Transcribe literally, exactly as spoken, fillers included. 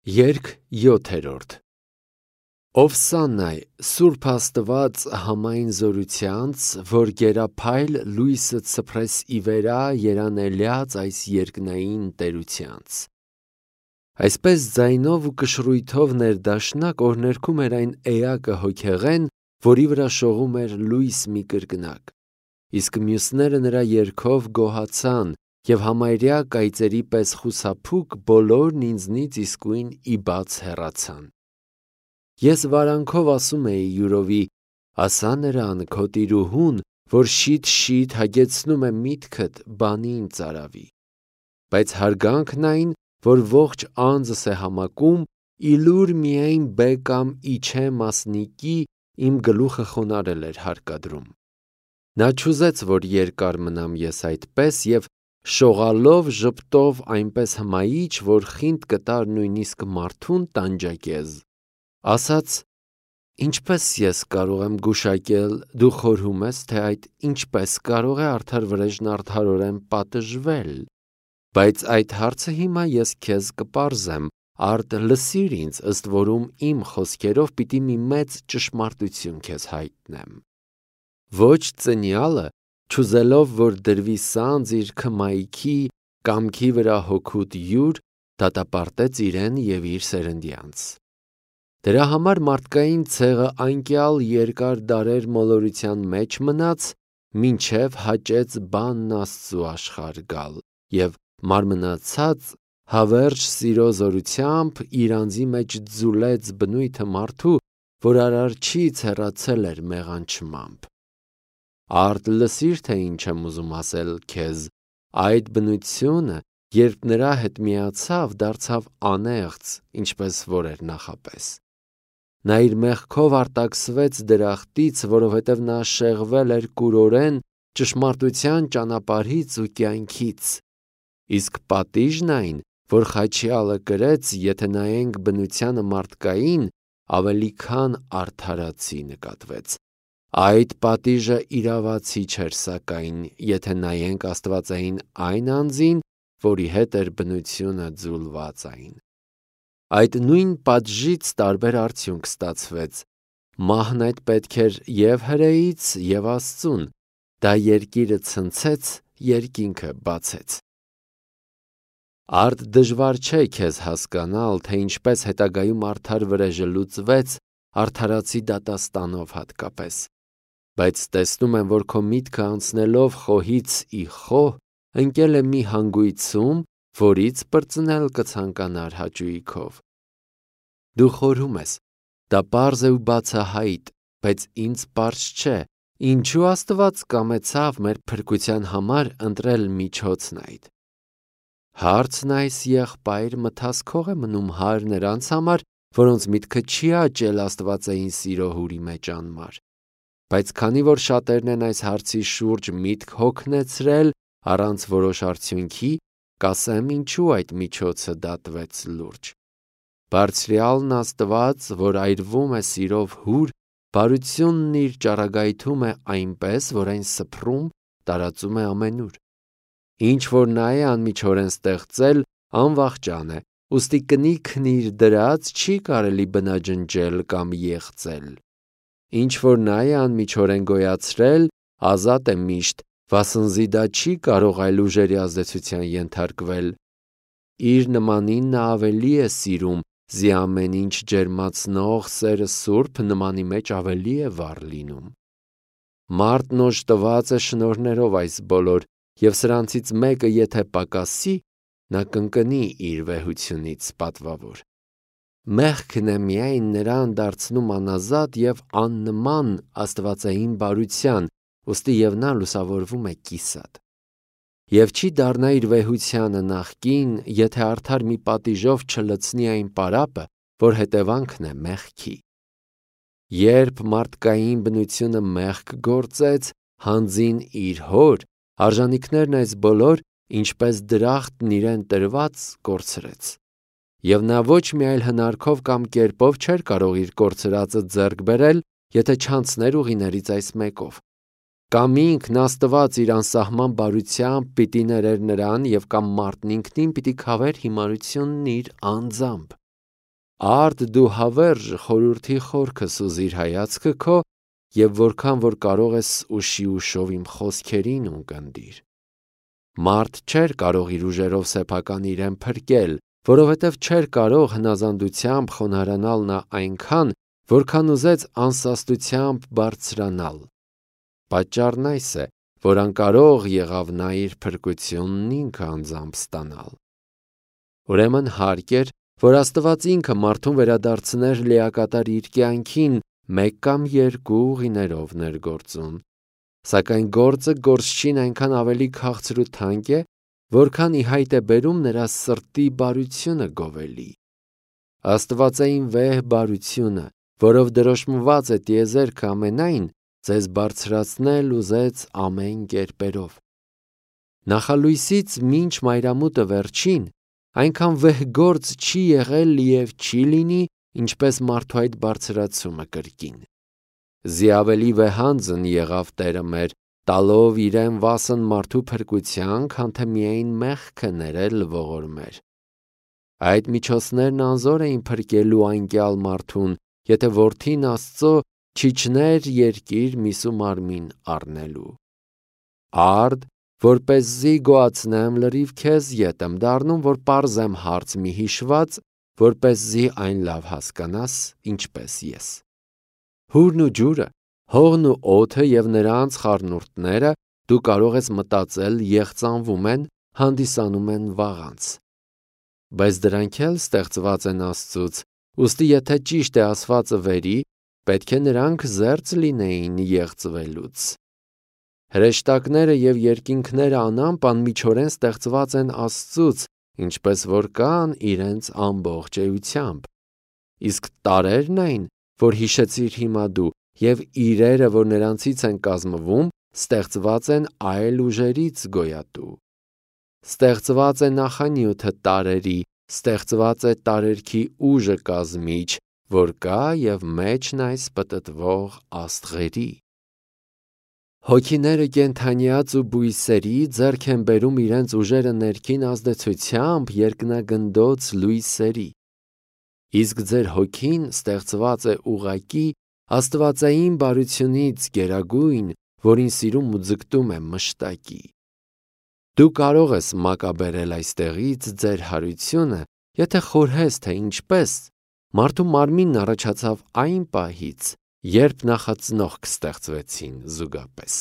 Երգ յոթերորդ Ովսաննայ, Սուրբ Աստված համայն զորությանց, որ գերափայլ լույսը ցփրես ի վերա երանելյաց այս երկնային տերությանց։ Այսպես ձայնով ու կշռույթով ներդաշնակ օրներքում էր այն էակը հոգեղեն, որի վրա շողում էր լույս մի կրկնակ, իսկ մյուսները նրա երգով գոհացան և համարյա կայծերի պես խուսափուկ բոլորն ինձնից իսկույն ի բաց հեռացան։ Ես վարանքով ասում էի յուրովի, ասա նրան քո տիրուհուն, որ շիթ-շիթ հագեցնում է միտքդ բանին ծարավի։ Բայց հարգանքն այն, որ ողջ անձս է համակում, իլուր միայն բեկամ իջե մասնիկի իմ գլուխը խոնարել էր հարկադրում։ Նա չուզեց, որ երկար մնամ ես այդպես և շողալով ժպտով այնպես հմայիչ, որ խինդ կտար նույնիսկ մարդուն տանջակեզ, ասաց. «Ինչպես ես կարող եմ գուշակել, դու խորհում ես, թե այդ ինչպես կարող է արդար վրեժն արդարորեն պատժվել, բայց այդ հարցը հիմա ես քեզ կպարզեմ, արդ լսիր ինձ, ըստ որում իմ խոսքերով պիտի մի մեծ ճշմարտություն քեզ հայտնեմ։ Ոչ ծնյալը, չուզելով, որ դրվի սանձ իր քմայքի, կամքի վրա հոգուտ յուր, դատապարտեց իրեն և իր սերնդյանց։ Դրա համար մարդկային ցեղը այնքյալ երկար դարեր մոլորության մեջ մնաց, մինչև հաճեց բանն Աստծու աշխարհ գալ, և մարմնացած հավերժ սիրո զորությամբ իր անձի մեջ ձուլեց բնույթը մարդու, որ Արարչից հեռացել էր մեղանչմամբ։ Արդ լսիր, թե ինչ եմ ուզում ասել քեզ, այդ բնությունը, երբ նրա հետ միացավ, դարձավ անեղծ, ինչպես որ էր նախապես։ Նա իր մեղքով արտաքսվեց դրախտից, որովհետև նա շեղվել էր կուրորեն ճշմարտության ճանապարհից ու կյանքից, իսկ պատիժն այն, որ խաչյալը կրեց, եթե նայենք բնությանը մարդկային, ավելի քան արդարացի նկատվեց։ Այդ պատիժը իրավացի չէր սակայն, եթե նայենք աստվածային այն անձին, որի հետ էր բնությունը ձուլված այն։ Այդ նույն պատժից տարբեր արդյունք ստացվեց։ Մահն այդ պետք էր և հրեից, և Աստծուն, դա երկիրը ցնցեց, երկինքը բացեց։ Արդ դժվար չէ քեզ հասկանալ, թե ինչպես հետագայում արդար վրեժը լուծվեց, արդարացի դատաստանով հատկապես, բայց տեսնում եմ, որ քո միտքը անցնելով խոհից ի խոհ, ընկել է մի հանգույցում, որից պրծնել կցանկանար հաճույքով։ Դու խորհում ես, դա պարզ է ու բացահայտ, բայց ինձ պարզ չէ, ինչու Աստված կամեցավ մեր փրկության համար ընտրել միջոցն այդ։ Հարցն այս եղբայր մտասքող է մնում հարր նրանց համար, որոնց միտքը չի աճել աստվածային սիրո հուրի մեջ անմար։ Բայց քանի որ շատերն են այս հարցի շուրջ միտք հոգնեցրել առանց որոշ արդյունքի, կասեմ ինչու այդ միջոցը դատվեց լուրջ։ Բարձրյալն Աստված, որ այրվում է սիրով հուր, բարությունն իր ճառագայթում է այնպես, որ այն սփռում, տարածում է ամենուր։ Ինչ որ նա է անմիջորեն ստեղծել, անվախճան է, ուստի կնիքն իր դրած չի կարելի բնաջնջել կամ եղծել։ Ինչ որ նա է անմիջորեն գոյացրել, ազատ է միշտ, վասնզի դա չի կարող այլ ուժերի ազդեցության ենթարկվել։ Իր նմանին նա ավելի է սիրում, զի ամեն ինչ ջերմացնող սերը սուրբ նմանի մեջ ավելի է վառ լինում։ Մարդն օժտված է շնորհներով այս բոլոր, և սրանցից մեկը եթե պակասի, նա կընկնի իր վեհությունից պատվավոր։ Մեղքն է միայն նրան դարձնում անազատ և աննման աստվածային բարության, ուստի և նա լուսավորվում է կիսատ։ Եվ չի դառնա իր վեհությանը նախկին, եթե արդար մի պատիժով չլցնի այն պարապը, որ հետևանքն է մեղքի։ Երբ մարդկային բնությունը մեղք գործեց, հանձին իր հոր, արժանիքներն այս բոլոր, ինչպես դրախտն իրեն տրված, կորցրեց։ Եվ նա ոչ մի այլ հնարքով կամ կերպով չէր կարող իր կորցրածը ձեռք բերել, եթե չանցներ ուղիներից այս մեկով։ Կամ ինքն Աստված իր անսահման բարությամբ պիտի ներեր նրան, և կամ մարդն ինքնին պիտի քավեր հիմարությունն իր անձամբ։ Արդ դու հավերժ խորհրդի խորքը սուզիր հայացքը քո և որքան որ կարող ես ուշի ուշով իմ խոսքերին ունկնդիր։ Մարդ չէր կարող իր ուժերով սեփական իրեն փրկել, որովհետև չէր կարող հնազանդությամբ խոնարհանալ նա այնքան, որքան ուզեց անսաստությամբ բարձրանալ։ Պատճառն այս է, որ անկարող եղավ նա իր փրկությունն ինքը անձամբ ստանալ։ Ուրեմն հարկ էր, որ Աստված ինքը մարդուն վերադարձներ լիակատար իր կյանքին մեկ կամ երկու ուղիներով ներգործում, սակայն գործը գործչին այնքան ավելի քաղցր ու թանկ է, որքան ի հայտ է բերում նրա սրտի բարությունը գովելի։ Աստվածային վեհ բարությունը, որով դրոշմված է տիեզերքը ամենայն, ձեզ բարձրացնել ուզեց ամեն կերպերով։ Նախալույսից մինչ մայրամուտը վերջին, այնքան վեհ գործ չի եղել և չի լինի, ինչպես մարդու այդ բարձրացումը կրկին։ Զի ավելի վեհանձն եղավ Տերը մեր, տալով իրեն վասն մարդու փրկության, քան թե միայն մեղքը ներել ողորմեր։ Այդ միջոցներն անզոր էին փրկելու անկյալ մարդուն, եթե որդին Աստծո չիջներ երկիր միսու մարմին առնելու։ Արդ, որպեսզի գոհացնեմ, լրիվ քեզ ետ եմ դառնում, որ պարզեմ հարց մի հիշված, որպեսզի այն լավ հասկանաս, ինչպես ես։ Հուրն ու ջուրը, հողն ու օդը և նրանց խառնուրդները, դու կարող ես մտածել, եղծանվում են, հանդիսանում են վաղանց։ Բայց դրանք էլ ստեղծված են Աստծուց, ուստի եթե ճիշտ է ասվածը վերի, պետք է նրանք զերծ լինեին եղծվելուց։ Հրեշտակները և երկինքները անամպ անմիջորեն ստեղծված են Աստծուց, ինչպես որ կան իրենց ամբողջ էությամբ։ Իսկ տարրերն այն, որ հիշեցիր հիմա դու, և իրերը, որ նրանցից են կազմվում, ստեղծված են այլ ուժերից գոյատու։ Ստեղծված է նախանյութը տարրերի, ստեղծված է տարերքի ուժը կազմիչ, որ կա և մեջն այս պտտվող աստղերի։ Հոգիները կենդանյաց ու բույսերի ձեռք են բերում իրենց ուժերը ներքին ազդեցությամբ երկնագնդոց լույսերի։ Իսկ ձեր հոգին ստեղծված է ուղղակի աստվածային բարությունից գերագույն, որին սիրում ու ձգտում է մշտակի։ Դու կարող ես մակաբերել այստեղից ձեր հարությունը, եթե խորհես, թե ինչպես մարդու մարմինն առաջացավ այն պահից, երբ նախածնողք ստեղծվեցին զուգապես։